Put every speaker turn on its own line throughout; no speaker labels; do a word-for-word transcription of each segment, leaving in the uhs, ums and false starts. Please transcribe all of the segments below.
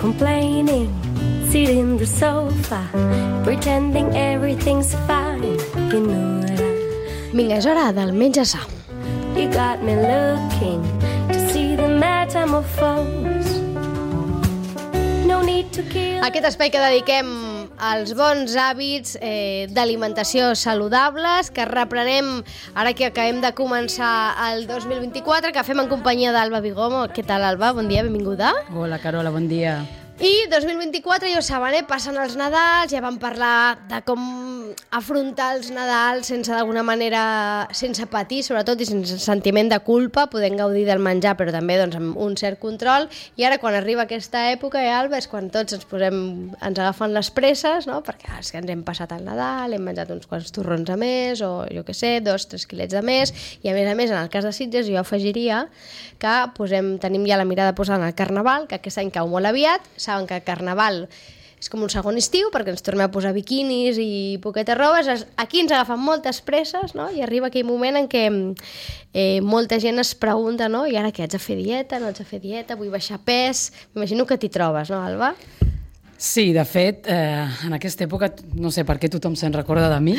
complaining, sitting in the sofa, pretending everything's fine. You know that I...
Vinga, és hora del menja sa.
You got me looking to see the metamorphose. No need to kill...
Aquest espai que dediquem als bons hàbits eh, d'alimentació saludables, que reprenem ara que acabem de començar el dos mil vint-i-quatre, que fem en companyia d'Alba Bigomo. Què tal, Alba? Bon dia, benvinguda.
Hola, Carola, bon dia.
I dos mil vint-i-quatre, ja ho saben, eh? Passen els Nadals, ja vam parlar de com afrontar els Nadals sense d'alguna manera, sense patir, sobretot, i sense sentiment de culpa, podent gaudir del menjar, però també doncs, amb un cert control. I ara, quan arriba aquesta època, eh, Alba, és quan tots ens posem, ens agafen les presses, no? Perquè ah, és que ens hem passat el Nadal, hem menjat uns quants torrons a més, o jo què sé, dos, tres quilets de més, i a més a més, en el cas de Sitges, jo afegiria que posem, tenim ja la mirada posada en el Carnaval, que aquest any cau molt aviat. Saben que el Carnaval és com un segon estiu perquè ens tornem a posar biquinis i poquetes robes. Aquí ens agafen moltes presses, no? I arriba aquell moment en què eh, molta gent es pregunta, no? I ara què, haig de fer dieta, no haig de fer dieta, vull baixar pes... M'imagino que t'hi trobes, no, Alba?
Sí, de fet, eh, en aquesta època no sé per què tothom se'n recorda de mi,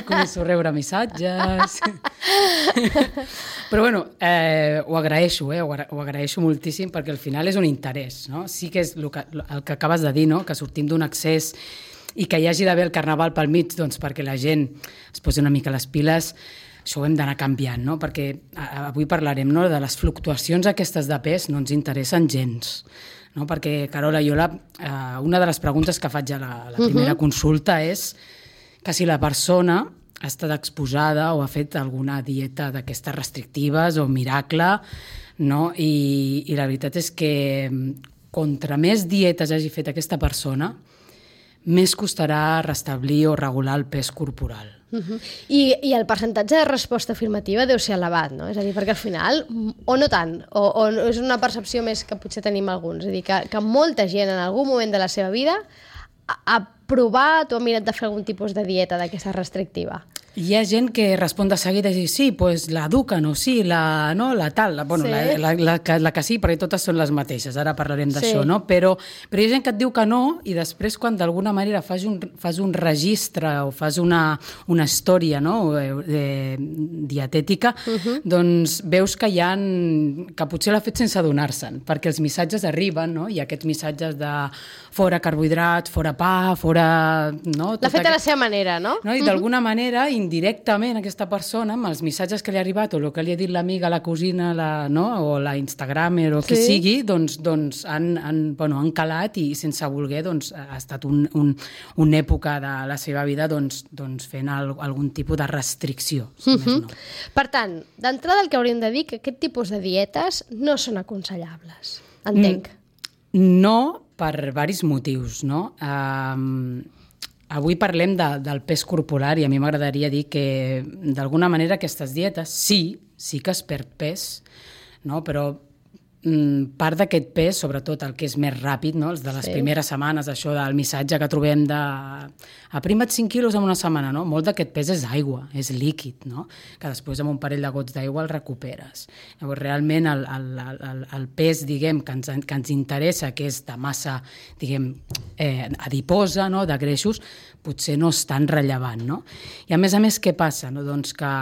començo a rebre missatges... Però bueno, eh, ho agraeixo, eh, ho, agra ho agraeixo moltíssim perquè al final és un interès, no? Sí que és el que, el que acabes de dir, no? Que sortim d'un excés i que hi hagi d'haver el Carnaval pel mig, doncs perquè la gent es posi una mica les piles, això ho hem d'anar canviant, no? Perquè avui parlarem, no? De les fluctuacions aquestes de pes no ens interessen gens, no? Perquè, Carola, jo la, eh, una de les preguntes que faig a la, a la primera uh-huh. consulta és que si la persona ha estat exposada o ha fet alguna dieta d'aquestes restrictives o miracle, no? I, i la veritat és que contra més dietes hagi fet aquesta persona, més costarà restablir o regular el pes corporal.
Uh-huh. I, I el percentatge de resposta afirmativa deu ser elevat, no? És a dir, perquè al final, o no tant, o, o és una percepció més que potser tenim alguns, és a dir, que, que molta gent en algun moment de la seva vida ha, ha provat o ha mirat de fer algun tipus de dieta d'aquesta restrictiva.
Hi ha gent que respon de seguida i diu, sí, pues la Ducan o sí, la, no, la tal, la, bueno, sí. la, la, la, la, la que sí, perquè totes són les mateixes, ara parlarem d'això, sí. no? Però, però hi ha gent que et diu que no i després quan d'alguna manera fas un, fas un registre o fas una, una història, no? de, dietètica, uh-huh. doncs veus que hi ha, que potser l'ha fet sense adonar-se'n, perquè els missatges arriben, no? I aquests missatges de fora carbohidrat, fora pa, fora... No?
L'ha fet a la seva manera, no?
no? I d'alguna uh-huh. manera, indirectament, aquesta persona, amb els missatges que li ha arribat o el que li ha dit l'amiga, la cosina, la, no? o la Instagramer o sí. qui sigui, doncs, doncs han, han, bueno, han calat i sense voler doncs, ha estat un, un, una època de la seva vida doncs, doncs fent el, algun tipus de restricció. Si uh-huh. més no.
Per tant, d'entrada el que hauríem de dir que aquest tipus de dietes no són aconsellables. Entenc.
Mm, no, per diversos motius, no? Um, avui parlem de, del pes corporal i a mi m'agradaria dir que d'alguna manera aquestes dietes sí, sí que es perd pes, no? Però mm, part d'aquest pes, sobretot el que és més ràpid, no? Els de les sí. primeres setmanes, això del missatge que trobem de aprima't cinc quilos en una setmana, no? Molt d'aquest pes és aigua, és líquid, no? Que després amb un parell de gots d'aigua el recuperes. Llavors, realment el, el, el, el pes, diguem, que ens, que ens interessa, que és de massa, diguem, eh, adiposa, no? De greixos, potser no és tan rellevant, no? I a més a més, què passa? No? Doncs que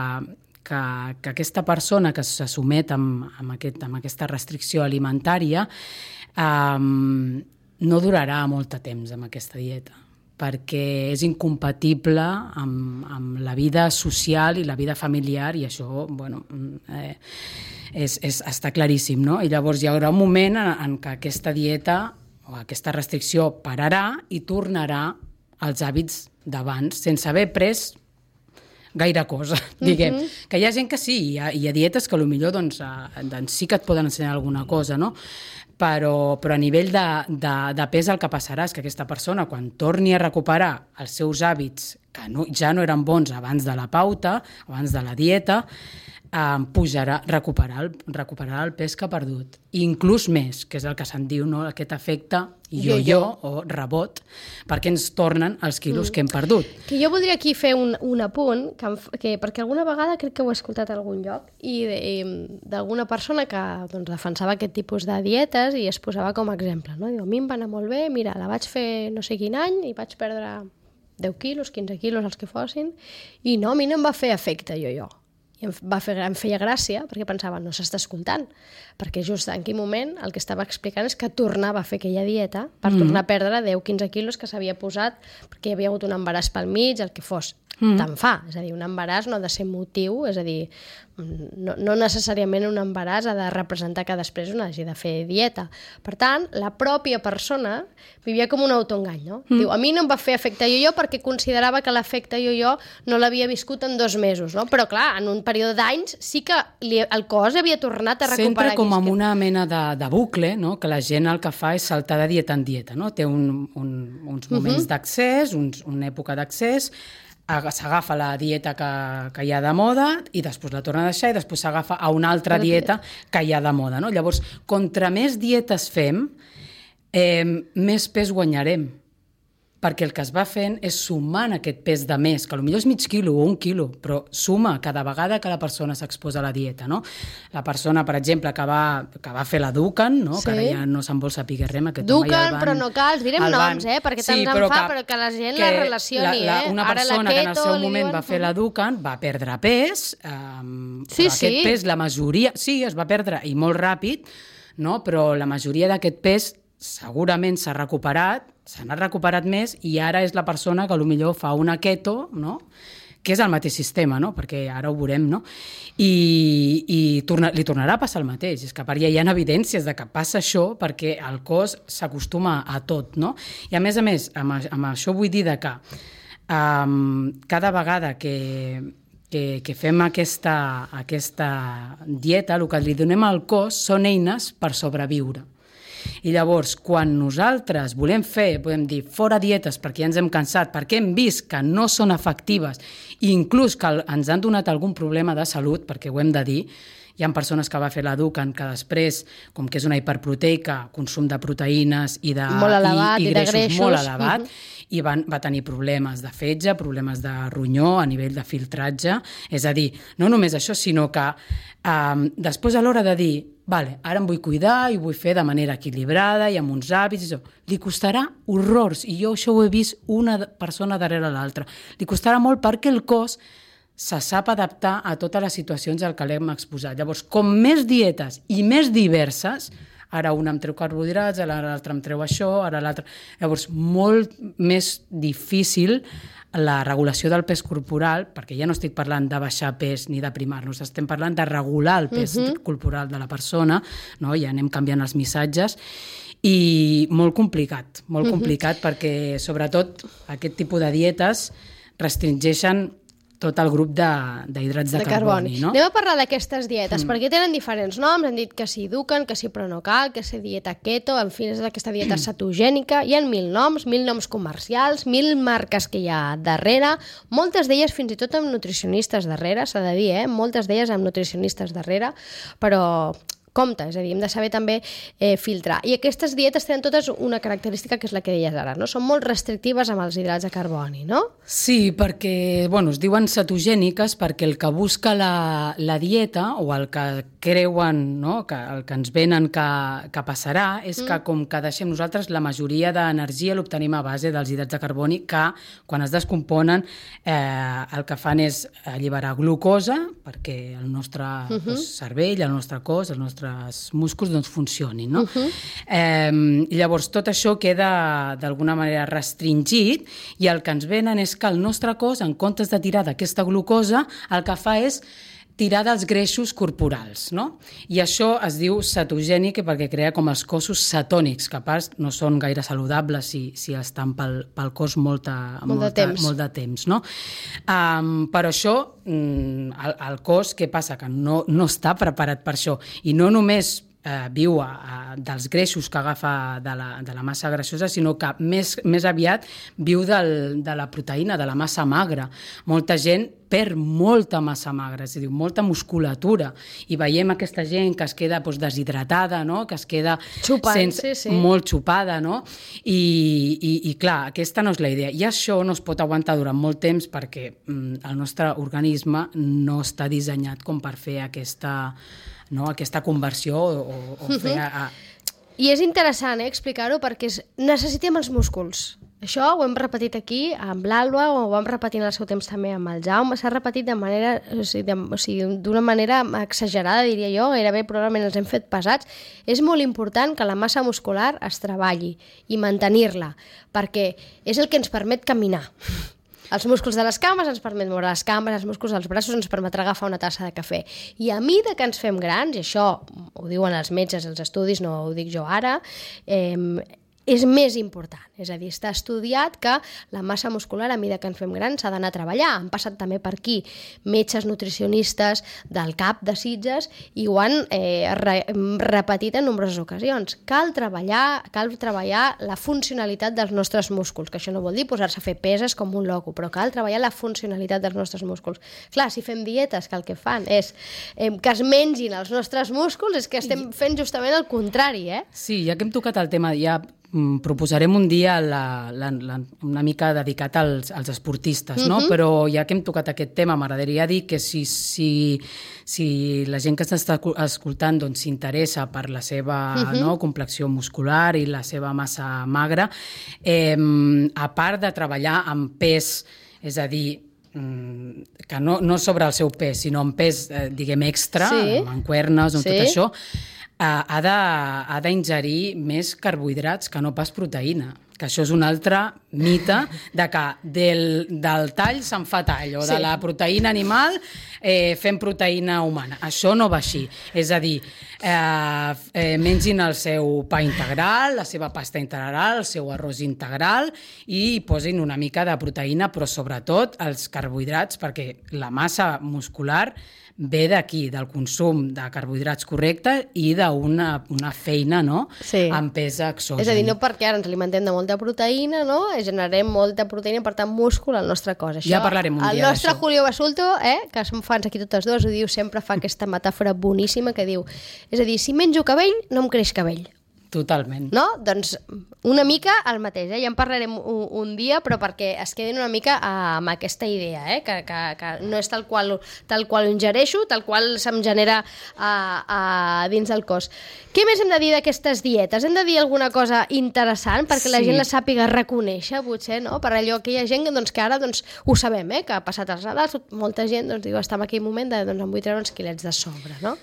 Que, que aquesta persona que se somet amb, amb, aquest, amb aquesta restricció alimentària um, no durarà molt de temps amb aquesta dieta, perquè és incompatible amb, amb la vida social i la vida familiar i això, bueno, eh, és, és, està claríssim, no? I llavors hi haurà un moment en, en què aquesta dieta o aquesta restricció pararà i tornarà als hàbits d'abans, sense haver pres gaire cosa, diguem. Uh-huh. Que hi ha gent que sí, hi ha, hi ha dietes que potser doncs, doncs sí que et poden ensenyar alguna cosa, no? Però, però a nivell de, de, de pes el que passarà és que aquesta persona, quan torni a recuperar els seus hàbits que no, ja no eren bons abans de la pauta, abans de la dieta, eh, pujarà, recuperar el, recuperar el pes que ha perdut. Inclús més, que és el que se'n diu, no? Aquest efecte yo-yo o rebot, perquè ens tornen els quilos mm. que hem perdut.
Que jo voldria aquí fer un, un apunt, que, que, perquè alguna vegada crec que ho he escoltat a algun lloc, i d'alguna persona que doncs, defensava aquest tipus de dietes i es posava com a exemple. No? Diu, a mi em va anar molt bé, mira, la vaig fer no sé quin any i vaig perdre deu quilos, quinze quilos, els que fossin, i no, a mi no em va fer efecte yo-yo. I em, va fer, em feia gràcia perquè pensava, no s'està escoltant, perquè just en quin moment el que estava explicant és que tornava a fer aquella dieta per mm. tornar a perdre deu a quinze quilos que s'havia posat perquè hi havia hagut un embaràs pel mig, el que fos. Mm. Te'n fa, és a dir, un embaràs no ha de ser motiu, és a dir, no, no necessàriament un embaràs ha de representar que després un hagi de fer dieta. Per tant, la pròpia persona vivia com un autoengany, no? Mm. Diu, a mi no em va fer efecte yo-yo perquè considerava que l'efecte yo-yo no l'havia viscut en dos mesos, no? Però clar, en un període d'anys sí que li, el cos havia tornat a recuperar.
Sempre com amb una mena de, de bucle, no? Que la gent el que fa és saltar de dieta en dieta, no? Té un, un, uns moments uh-huh. d'accés, uns, una època d'accés, s'agafa la dieta que, que hi ha de moda i després la torna a deixar i després s'agafa a una altra dieta que hi ha de moda. No? Llavors, contra més dietes fem, eh, més pes guanyarem, perquè el que es va fent és sumant aquest pes de més, que potser és mig quilo o un quilo, però suma cada vegada que la persona s'exposa a la dieta. No? La persona, per exemple, que va, que va fer la Dukan, no? Sí. Que ara ja no se'n vol saber res, aquest
Dukan,
home ja el van...
però no cal, direm noms, eh? Perquè tant sí, en fa, però que la gent la relacioni. La, la,
eh? Una persona ara la keto, que en el seu moment diuen... va fer la Dukan va perdre pes, eh,
sí,
però
sí.
aquest pes, la majoria... Sí, es va perdre, i molt ràpid, no? Però la majoria d'aquest pes segurament s'ha recuperat, s'ha anat recuperat més i ara és la persona que potser fa una keto, no? Que és el mateix sistema, no? Perquè ara ho veurem, no? I, i torna, li tornarà a passar el mateix. És que a part ja hi ha evidències de que passa això perquè el cos s'acostuma a tot, no? I a més a més, amb, amb això vull dir de que um, cada vegada que, que, que fem aquesta, aquesta dieta, el que li donem al cos són eines per sobreviure. I llavors, quan nosaltres volem fer, podem dir, fora dietes perquè ja ens hem cansat, perquè hem vist que no són efectives i inclús que ens han donat algun problema de salut, perquè ho hem de dir, hi ha persones que va fer la Dukan que després, com que és una hiperproteica, consum de proteïnes i de,
molt elevat,
i, i,
i
greixos,
de greixos
molt elevat,
uh-huh.
i van, va tenir problemes de fetge, problemes de ronyó a nivell de filtratge. És a dir, no només això, sinó que um, després a l'hora de dir vale, ara em vull cuidar i ho vull fer de manera equilibrada i amb uns hàbits, i li costarà horrors, i jo això ho he vist una persona darrere l'altra. Li costarà molt perquè el cos se sap adaptar a totes les situacions al que l'hem exposat. Llavors, com més dietes i més diverses, ara una em treu carbohidrats, ara l'altra em treu això, ara l'altra... Llavors, molt més difícil la regulació del pes corporal, perquè ja no estic parlant de baixar pes ni d'aprimar-nos, estem parlant de regular el pes uh-huh. corporal de la persona, no? Ja anem canviant els missatges, i molt complicat, molt uh-huh. complicat, perquè sobretot aquest tipus de dietes restringeixen tot el grup d'hidrats de, de, de carboni. carboni no?
Anem a parlar d'aquestes dietes, mm. perquè tenen diferents noms, hem dit que si Dukan, que si Pronocal, que si dieta keto, en fi, és aquesta dieta cetogènica, hi ha mil noms, mil noms comercials, mil marques que hi ha darrere, moltes d'elles fins i tot amb nutricionistes darrere, s'ha de dir, eh? moltes d'elles amb nutricionistes darrere, però... compte, és a dir, hem de saber també eh, filtrar. I aquestes dietes tenen totes una característica que és la que deies ara, no? Són molt restrictives amb els hidrats de carboni, no?
Sí, perquè, bueno, es diuen cetogèniques perquè el que busca la, la dieta o el que creuen, no? que, el que ens venen que, que passarà és mm. que com que deixem nosaltres la majoria d'energia l'obtenim a base dels hidrats de carboni que quan es descomponen eh, el que fan és alliberar glucosa perquè el nostre uh-huh. doncs, cervell, el nostre cos, el nostre músculs doncs, funcionin. No? Uh-huh. Eh, I llavors tot això queda d'alguna manera restringit i el que ens venen és que el nostre cos, en comptes de tirar d'aquesta glucosa, el que fa és tirar dels greixos corporals. No? I això es diu cetogènic perquè crea com els cossos cetònics, que a part no són gaire saludables si, si estan pel, pel cos molta,
molt,
molta,
de temps.
molt de temps. No? Um, per això, el, el cos, què passa? Que no, no està preparat per això. I no només eh, viu a, a, dels greixos que agafa de la, de la massa grassosa, sinó que més, més aviat viu del, de la proteïna, de la massa magra. Molta gent perd molta massa magra, és a dir, molta musculatura, i veiem aquesta gent que es queda doncs, deshidratada, no? Que es queda
Xupant,
sense,
sí, sí.
molt xupada, no? I, i, i clar, aquesta no és la idea. I això no es pot aguantar durant molt temps perquè mm, el nostre organisme no està dissenyat com per fer aquesta, no? aquesta conversió o, o fer... A, a...
I és interessant eh, explicar-ho perquè és... necessitem els músculs. Això ho hem repetit aquí amb l'Alba, o ho vam repetir en el seu temps també amb el Jaume, s'ha repetit de manera, o sigui, de, o sigui, d'una manera exagerada, diria jo, gairebé probablement els hem fet pesats. És molt important que la massa muscular es treballi i mantenir-la, perquè és el que ens permet caminar. Els músculs de les cames ens permet moure les cames, els músculs dels braços ens permetrà agafar una tassa de cafè. I a mida que ens fem grans, i això ho diuen els metges, els estudis, no ho dic jo ara, eh, és més important. És a dir, està estudiat que la massa muscular, a mesura que ens fem grans, s'ha d'anar a treballar. Han passat també per aquí metges nutricionistes del C A P de Sitges i ho han eh, re repetit en nombroses ocasions. Cal treballar, cal treballar la funcionalitat dels nostres músculs, que això no vol dir posar-se a fer peses com un loco, però cal treballar la funcionalitat dels nostres músculs. Clar, si fem dietes que el que fan és eh, que es mengin els nostres músculs, és que estem fent justament el contrari, eh?
Sí, ja que hem tocat el tema, ja proposarem un dia la, la, la, una mica dedicat als, als esportistes, no? Uh-huh. Però ja que hem tocat aquest tema, m'agradaria dir que si, si, si la gent que s'està escoltant doncs, s'interessa per la seva uh-huh. no, complexió muscular i la seva massa magra, eh, a part de treballar amb pes, és a dir, que no, no sobre el seu pes, sinó amb pes, eh, diguem, extra, sí. amb mancuernes, amb sí. tot això, ha de, ha d'ingerir més carbohidrats que no pas proteïna, que això és un altre mite de que del, del tall se'n fa tall, o sí. de la proteïna animal eh, fem proteïna humana. Això no va així. És a dir, eh, eh, mengin el seu pa integral, la seva pasta integral, el seu arròs integral i posin una mica de proteïna, però sobretot els carbohidrats, perquè la massa muscular ve d'aquí, del consum de carbohidrats correcte i d'una una feina, no?, sí. amb pes exogen.
És a dir, no perquè ara ens alimentem de molta proteïna, no?, generem molta proteïna, per tant, múscul al nostre cos. Això,
ja parlarem un dia
d'això. El nostre
d'això.
Julio Basulto, eh, que som fans aquí totes dues, ho diu sempre, fa aquesta metàfora boníssima que diu, és a dir, si menjo cabell, no em creix cabell.
Totalment.
No? Doncs una mica el mateix, eh? Ja en parlarem un, un dia, però perquè es quedin una mica amb aquesta idea, eh? que, que, que no és tal qual, tal qual ho ingereixo, tal qual se'm genera a, a dins del cos. Què més hem de dir d'aquestes dietes? Hem de dir alguna cosa interessant perquè sí. la gent la sàpiga reconèixer, potser, no? Per allò que hi ha gent doncs, que ara doncs, ho sabem, eh? Que ha passat els Nadals, molta gent doncs, diu, està en aquell moment de doncs, em vull treure uns quilets de sobre, no?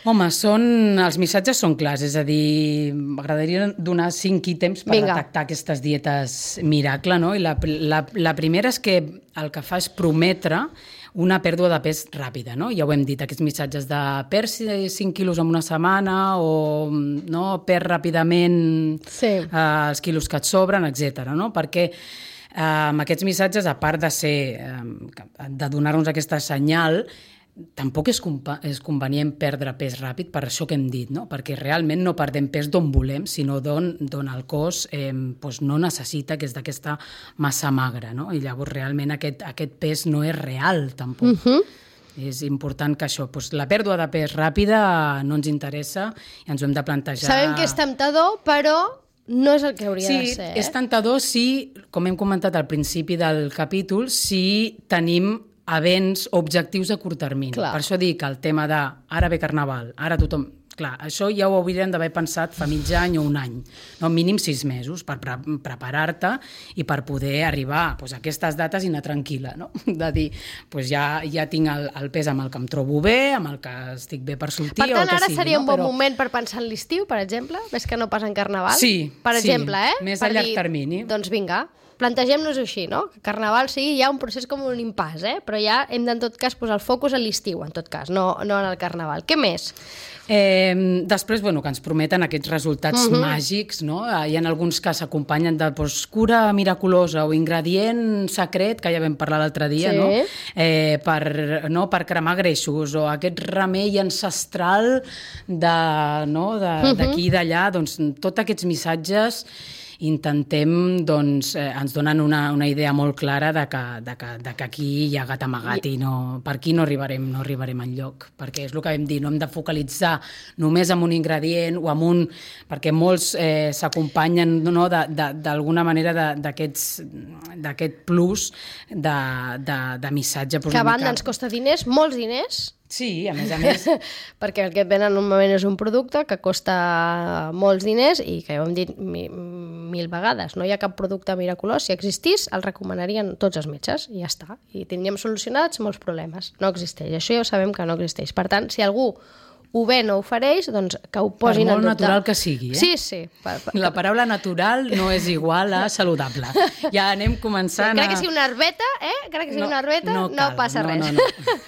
Home, són, els missatges són clars, és a dir, m'agradaria donar cinc ítems per Vinga. detectar aquestes dietes miracle, no? I la, la, la primera és que el que fa és prometre una pèrdua de pes ràpida, no? Ja ho hem dit, aquests missatges de perd cinc quilos en una setmana o no, perd ràpidament sí. eh, els quilos que et sobren, etcètera, no? Perquè eh, amb aquests missatges, a part de ser, eh, de donar-nos aquesta senyal, tampoc és, és convenient perdre pes ràpid per això que hem dit, no? Perquè realment no perdem pes d'on volem, sinó d'on el cos eh, doncs no necessita, que és d'aquesta massa magra, no? I llavors realment aquest, aquest pes no és real, tampoc. Uh-huh. És important que això, doncs, la pèrdua de pes ràpida no ens interessa i ens ho hem de plantejar.
Sabem que és temptador, però no és el que hauria
sí,
de ser.
Sí, és temptador si, com hem comentat al principi del capítol, si tenim events, objectius a curt termini. Clar. Per això dic que el tema de ara ve Carnaval, ara tothom... Clar, això ja ho hauríem d'haver pensat fa mig any o un any, no? Mínim sis mesos per pre preparar-te i per poder arribar pues, a aquestes dates i anar tranquil·la, no? De dir, pues, ja, ja tinc el, el pes amb el que em trobo bé, amb el que estic bé per sortir...
Per tant,
o el que
ara
sigui,
seria
no?
un bon
Però...
moment per pensar en l'estiu, per exemple, més que no pas en Carnaval?
Sí,
per
sí,
exemple, eh?
més
per
a llarg
dir,
termini.
Doncs vinga. plantegem-nos així, no? Que Carnaval sigui ja un procés com un impàs, eh? Però ja hem de, en tot cas, posar el focus a l'estiu, en tot cas, no, no en el Carnaval. Què més?
Eh, després, bueno, que ens prometen aquests resultats uh-huh. màgics, no? Hi ha alguns que s'acompanyen de pues, cura miraculosa o ingredient secret, que ja vam parlar l'altre dia, sí. no? Eh, per, no? per cremar greixos, o aquest remei ancestral de, no? de, uh-huh. d'aquí i d'allà, doncs tots aquests missatges intentem, doncs, eh, ens donen una, una idea molt clara de que, de, que, de que aquí hi ha gat amagat i no, per aquí no arribarem, no arribarem enlloc, perquè és el que vam dir, no hem de focalitzar només en un ingredient o en un... perquè molts eh, s'acompanyen no, d'alguna manera d'aquest plus de, de, de missatge.
Que a banda ens costa diners, molts diners.
Sí, a més a més.
Perquè el que et venen normalment és un producte que costa molts diners i que ja ho hem dit mi, mil vegades. No hi ha cap producte miraculós. Si existís, el recomanarien tots els metges i ja està. I tindríem solucionats molts problemes. No existeix. Això ja ho sabem que no existeix. Per tant, si algú ho ven o ofereix, doncs que ho posin en dubte.
Per molt natural que sigui, eh?
Sí, sí. Per, per...
La paraula natural no és igual a saludable. Ja anem començant a...
Crec que sigui una herbeta, eh? Crec que sigui
no,
una herbeta, no,
no,
no passa
no,
res.
No, no.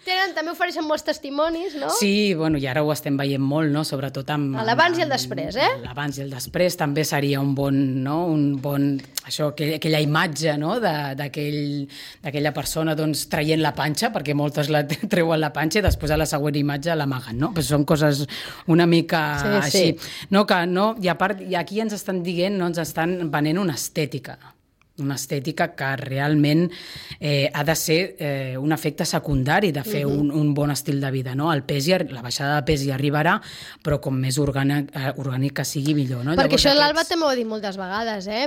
Tenen, també ofereixen molts testimonis, no?
Sí, bueno, i ara ho estem veient molt, no? Sobretot amb...
L'abans i el després, eh?
L'abans i el després també seria un bon, no? Un bon... Això, aquella imatge, no? D'aquella persona, doncs, traient la panxa, perquè moltes la treuen la panxa i després a la següent imatge l'amaguen, no? Però són coses una mica
sí,
així.
Sí.
No, que no... I a part, i aquí ens estan dient, no? Ens estan venent una estètica. Una estètica que realment eh, ha de ser eh, un efecte secundari de fer uh-huh. un, un bon estil de vida, no? El pes i, la baixada de pes hi arribarà, però com més orgànic, eh, orgànic que sigui, millor, no?
Perquè
Llavors,
això
aquests...
l'Alba també ho ha dit moltes vegades, eh?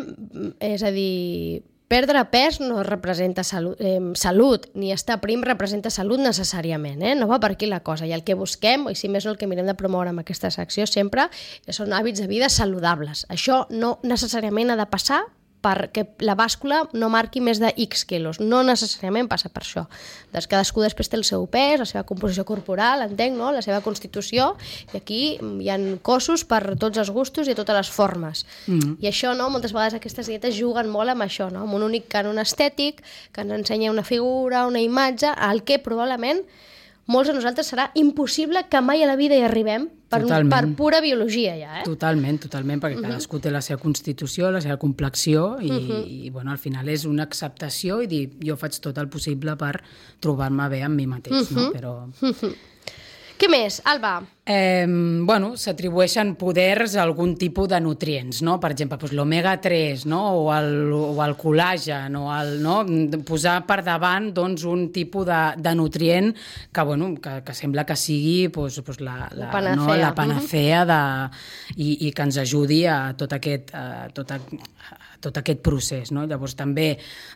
És a dir, perdre pes no representa salut, eh, salut, ni estar prim representa salut necessàriament, eh? No va per aquí la cosa. I el que busquem, i si més no el que mirem de promoure amb aquesta secció sempre, són hàbits de vida saludables. Això no necessàriament ha de passar perquè la bàscula no marqui més de X quilos. No necessàriament passa per això. Doncs cadascú després té el seu pes, la seva composició corporal, entenc, no? La seva constitució, i aquí hi ha cossos per tots els gustos i a totes les formes. Mm. I això, no? Moltes vegades aquestes dietes juguen molt amb això, no? Amb un únic cànon estètic que ens ensenya una figura, una imatge, al que probablement molts de nosaltres serà impossible que mai a la vida hi arribem per, per pura biologia ja, eh?
Totalment, totalment, perquè uh-huh. cadascú té la seva constitució, la seva complexió i, uh-huh. i bueno, al final és una acceptació i dir, jo faig tot el possible per trobar-me bé amb mi mateix, uh-huh. no? Però...
Uh-huh. Què més, Alba?
Eh, bueno, s'atribueixen poders a algun tipus de nutrients, no? Per exemple, doncs, l'omega tres, no? o, el, o el col·làgen, o el, no? Posar per davant doncs, un tipus de, de nutrient que, bueno, que, que sembla que sigui doncs, doncs, la, la,
panacea.
No? la panacea de, i, i que ens ajudi a tot aquest, a tot, a, a tot aquest procés. No? Llavors també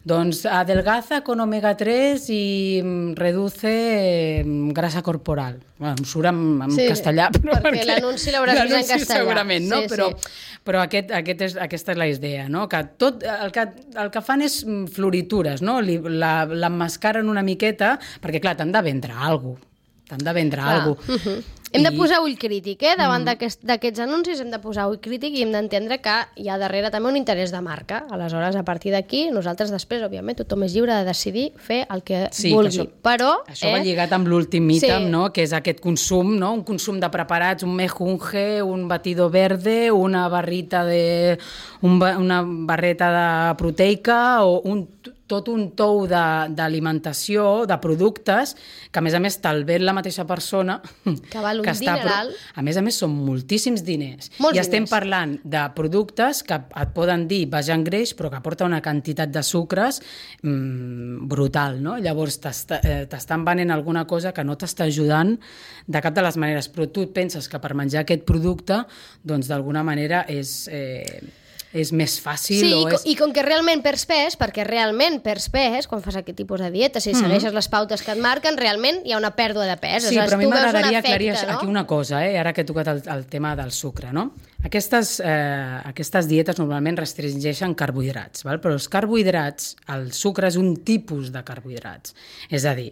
doncs, adelgaza con omega tres i reduce grasa corporal. Bueno, em surt en, en sí. castellà, però
perquè,
perquè
l'anunci l'hauràs vist en castellà.
Segurament, no?
Sí,
però
sí.
però aquest, aquest és, aquesta és la idea, no? Que tot el que, el que fan és floritures, no? L'emmascaren una miqueta, perquè clar, t'han de vendre alguna cosa. T'han de vendre alguna cosa.
Uh-huh. Hem de posar ull crític, eh? Davant mm. d'aquest, d'aquests anuncis hem de posar ull crític i hem d'entendre que hi ha darrere també un interès de marca. Aleshores, a partir d'aquí, nosaltres després, òbviament, tothom és lliure de decidir fer el que
sí,
vulgui.
Que això,
però,
això
eh?
va lligat amb l'últim ítem,
sí.
no? Que és aquest consum, no? Un consum de preparats, un mejunge, un batido verde, una barrita de... Un, una barreta de proteica o un... tot un tou d'alimentació, de, de productes, que a més a més te'l ven la mateixa persona
que val un
que està,
dineral.
A més a més són moltíssims diners.
Molts
I estem
diners.
parlant de productes que et poden dir baix en greix, però que aporta una quantitat de sucres mmm, brutal, no? Llavors t'estan venent alguna cosa que no t'està ajudant de cap de les maneres, però tu et penses que per menjar aquest producte, doncs d'alguna manera és... Eh, és més fàcil.
Sí,
o
i,
és...
i com que realment perds pes, perquè realment perds pes, quan fas aquest tipus de dieta, si mm-hmm. segueixes les pautes que et marquen, realment hi ha una pèrdua de pes.
Sí, però a mi m'agradaria aclarir
no?
aquí una cosa, eh? Ara que he tocat el, el tema del sucre, no? Aquestes, eh, aquestes dietes normalment restringeixen carbohidrats, val? Però els carbohidrats, el sucre és un tipus de carbohidrats. És a dir,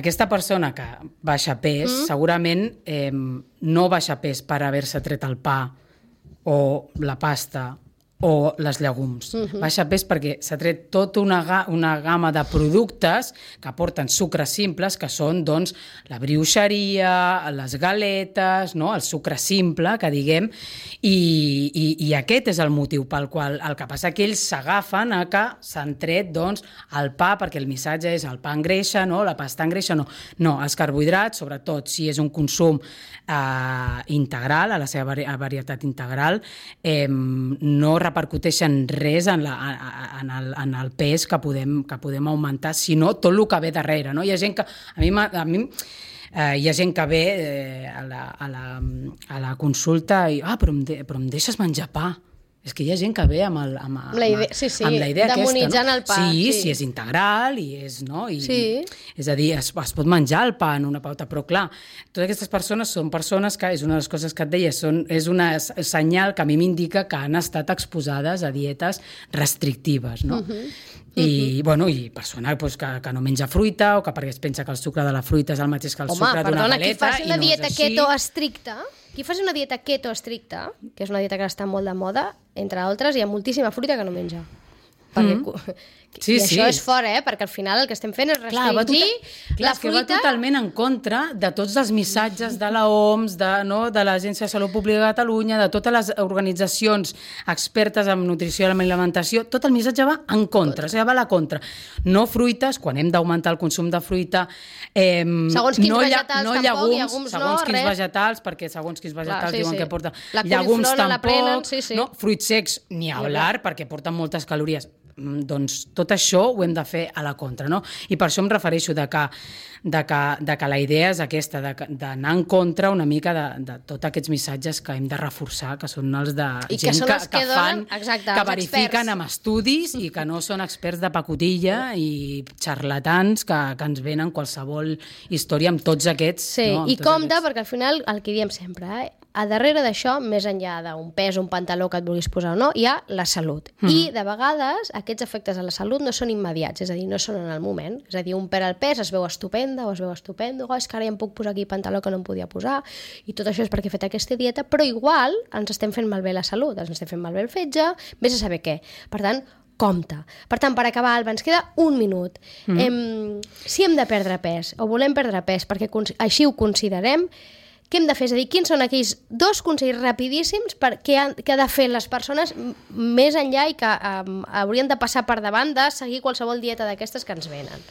aquesta persona que baixa pes, mm. segurament eh, no baixa pes per haver-se tret el pa o la pasta o les llegums. Uh-huh. Baixa pes perquè s'ha tret tota una, ga una gamma de productes que aporten sucres simples, que són doncs, la brioixeria, les galetes, no? El sucre simple, que diguem, i, i, i aquest és el motiu pel qual el que passa que ells s'agafen a que s'han tret doncs, el pa, perquè el missatge és el pa engreixa, no? La pasta engreixa, no. No, els carbohidrats, sobretot si és un consum eh, integral, a la seva vari varietat integral, eh, no repercuteixen res en, la, en, el, en el pes que podem, que podem augmentar, sinó tot el que ve darrere. No? Hi ha gent que... A mi, a mi eh, hi ha gent que ve eh, a, la, a, la, a la consulta i ah, però em, de, però em deixes menjar pa. És que hi ha gent que ve amb, el, amb, amb,
la idea, sí, sí,
amb la idea aquesta.
Demonitzant no? el pa.
Sí,
sí,
sí, és integral i és... No? I,
sí.
És a dir, es, es pot menjar el pa en una pauta, però clar, totes aquestes persones són persones que, és una de les coses que et deia, són, és un senyal que a mi m'indica que han estat exposades a dietes restrictives, no? Uh-huh. I, uh-huh. bueno, i persona pues, que, que no menja fruita o que perquè es pensa que el sucre de la fruita és el mateix que el
Home,
sucre d'una galeta.
Home, perdona, qui faci una
no
dieta keto estricta, qui faci una dieta keto estricta, que és una dieta que està molt de moda, entre altres, hi ha moltíssima fruita que no menja. Perquè, mm. sí, I això sí. és fora, eh? Perquè al final el que estem fent és restringir
clar, tota, clar, la fruita... Clar, que va totalment en contra de tots els missatges de la O M S, de, no, de l'Agència de Salut Pública de Catalunya, de totes les organitzacions expertes en nutrició i alimentació, tot el missatge va en contra, o sigui, va a la contra. No fruites, quan hem d'augmentar el consum de fruita, eh,
segons quins
no,
vegetals
no
tampoc,
llegums,
llegums
segons
no,
quins
res.
vegetals, perquè segons quins vegetals clar, sí, diuen sí. que porta
la
llegums tampoc,
prenen, sí, sí.
No? Fruits secs ni hablar, perquè porten moltes calories. Doncs tot això ho hem de fer a la contra, no? I per això em refereixo de que, de que, de que la idea és aquesta, d'anar en contra una mica de, de tots aquests missatges que hem de reforçar, que són els de
I
gent
que,
que,
que,
que fan,
exacte,
que verifiquen experts. Amb estudis i que no són experts de pacotilla i xarlatans que, que ens venen qualsevol història amb tots aquests.
Sí,
no?
i compte,
aquests.
perquè al final el que diem sempre, eh? A darrere d'això, més enllà d'un pes, un pantaló que et vulguis posar o no, hi ha la salut. Mm. I, de vegades, aquests efectes a la salut no són immediats, és a dir, no són en el moment. És a dir, un perd el pes, es veu estupenda o es veu estupendo, oh, és que ara ja em puc posar aquí pantaló que no em podia posar, i tot això és perquè he fet aquesta dieta, però igual ens estem fent malbé la salut, ens estem fent malbé el fetge, vés a saber què. Per tant, compte. Per tant, per acabar, Alba, ens queda un minut. Mm. Em, si hem de perdre pes, o volem perdre pes, perquè així ho considerem, què hem de fer? És a dir, quins són aquells dos consells rapidíssims per què han, què han de fer les persones més enllà i que um, haurien de passar per davant de seguir qualsevol dieta d'aquestes que ens venen?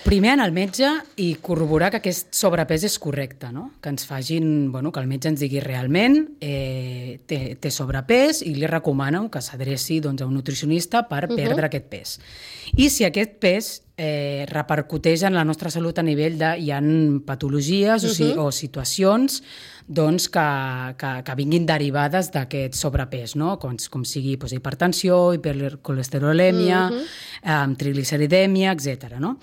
Primer anar al metge i corroborar que aquest sobrepès és correcte, no? Que ens facin, bueno, que el metge ens digui realment eh, té, té sobrepès i li recomano que s'adreci doncs, a un nutricionista per uh-huh. perdre aquest pes. I si aquest pes eh, repercuteix en la nostra salut a nivell de hi ha patologies uh-huh. o, si, o situacions doncs, que, que, que vinguin derivades d'aquest sobrepès, no? com, com sigui doncs, hipertensió, hipercolesterolèmia, uh-huh. eh, trigliceridèmia, etcètera. No?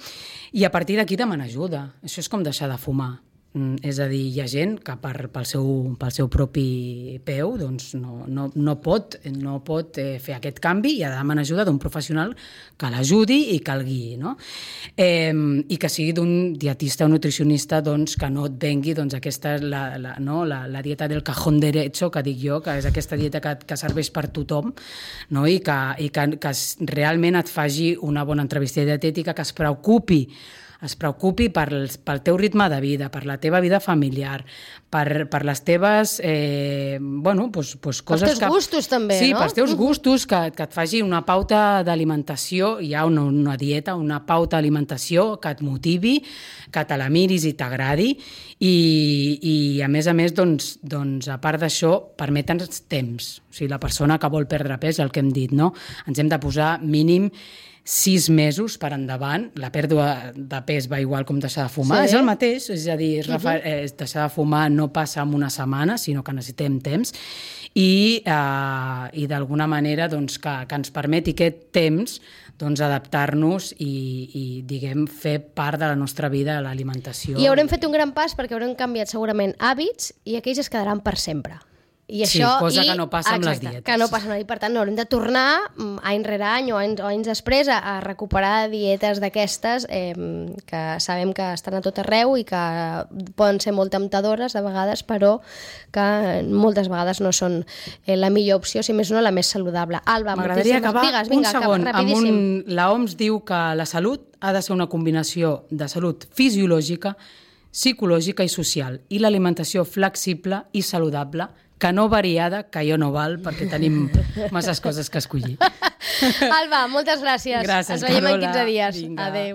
I a partir d'aquí demanar ajuda. Això és com deixar de fumar. Mm, és a dir, hi ha gent que per, pel, seu, pel seu propi peu doncs no, no, no pot, no pot eh, fer aquest canvi i ha de demanar ajuda d'un professional que l'ajudi i que el guiï. No? Eh, I que sigui d'un dietista o nutricionista doncs, que no et vengui doncs, aquesta, la, la, no? la, la dieta del cajón derecho, que dic jo, que és aquesta dieta que, que serveix per tothom, no? I, que, i que, que realment et faci una bona entrevista dietètica, que es preocupi es preocupi per, pel teu ritme de vida, per la teva vida familiar, per, per les teves eh, bueno, pues, pues coses
pels teus
que...
gustos també,
sí,
no?
pels teus gustos, que, que et faci una pauta d'alimentació, hi ha una, una dieta, una pauta d'alimentació que et motivi, que te la miris i t'agradi i, i a més a més, doncs, doncs a part d'això, permetre'ns temps. O sigui, la persona que vol perdre pes, el que hem dit, no? Ens hem de posar mínim sis mesos per endavant, la pèrdua de pes va igual com deixar de fumar, sí. És el mateix, és a dir, és refer... uh-huh. eh, deixar de fumar no passa en una setmana, sinó que necessitem temps, i, eh, i d'alguna manera doncs, que, que ens permeti aquest temps doncs, adaptar-nos i, i diguem, fer part de la nostra vida a l'alimentació.
I haurem fet un gran pas perquè haurem canviat segurament hàbits i aquells es quedaran per sempre. I
Sí,
això,
cosa
i,
que no passa amb les
exacte,
dietes.
Que no passa amb les dietes. Per tant, no haurem de tornar mm, any rere any o anys, o anys després a, a recuperar dietes d'aquestes eh, que sabem que estan a tot arreu i que poden ser molt temptadores de vegades, però que moltes vegades no són eh, la millor opció, si més no la més saludable. Alba,
m'agradaria
moltíssimes-
acabar
digues,
un
vinga,
segon
acaba,
amb
rapidíssim.
un... La O M S diu que la salut ha de ser una combinació de salut fisiològica, psicològica i social, i l'alimentació flexible i saludable, que no variada, que jo no val, perquè tenim masses coses que escollir.
Alba, moltes gràcies.
Gràcies,
Ens veiem en
Carola.
quinze dies.
Vinga.
Adéu.